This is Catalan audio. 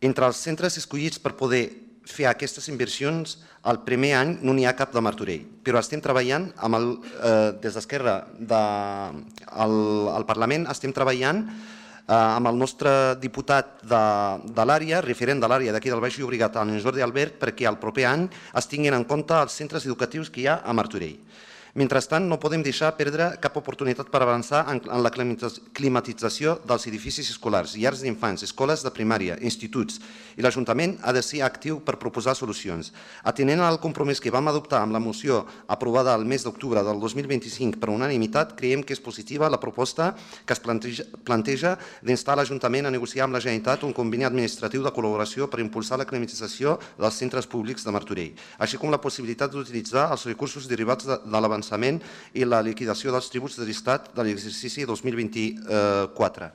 Entre els centres escollits per poder fer aquestes inversions, el primer any no n'hi ha cap de Martorell, però estem treballant des d'Esquerra al Parlament, estem treballant amb el nostre diputat de l'àrea, referent de l'àrea d'aquí del Baix Llobregat, en Jordi Albert, perquè el proper any es tinguin en compte els centres educatius que hi ha a Martorell. Mentrestant, no podem deixar perdre cap oportunitat per avançar en la climatització dels edificis escolars, llars d'infants, escoles de primària, instituts, i l'Ajuntament ha de ser actiu per proposar solucions. Atenent al compromís que vam adoptar amb la moció aprovada el mes d'octubre del 2025 per unanimitat, creiem que és positiva la proposta que es planteja d'instar l'Ajuntament a negociar amb la Generalitat un conveni administratiu de col·laboració per impulsar la climatització dels centres públics de Martorell, així com la possibilitat d'utilitzar els recursos derivats de l'avançament i la liquidació dels tributs de l'Estat de l'exercici 2024.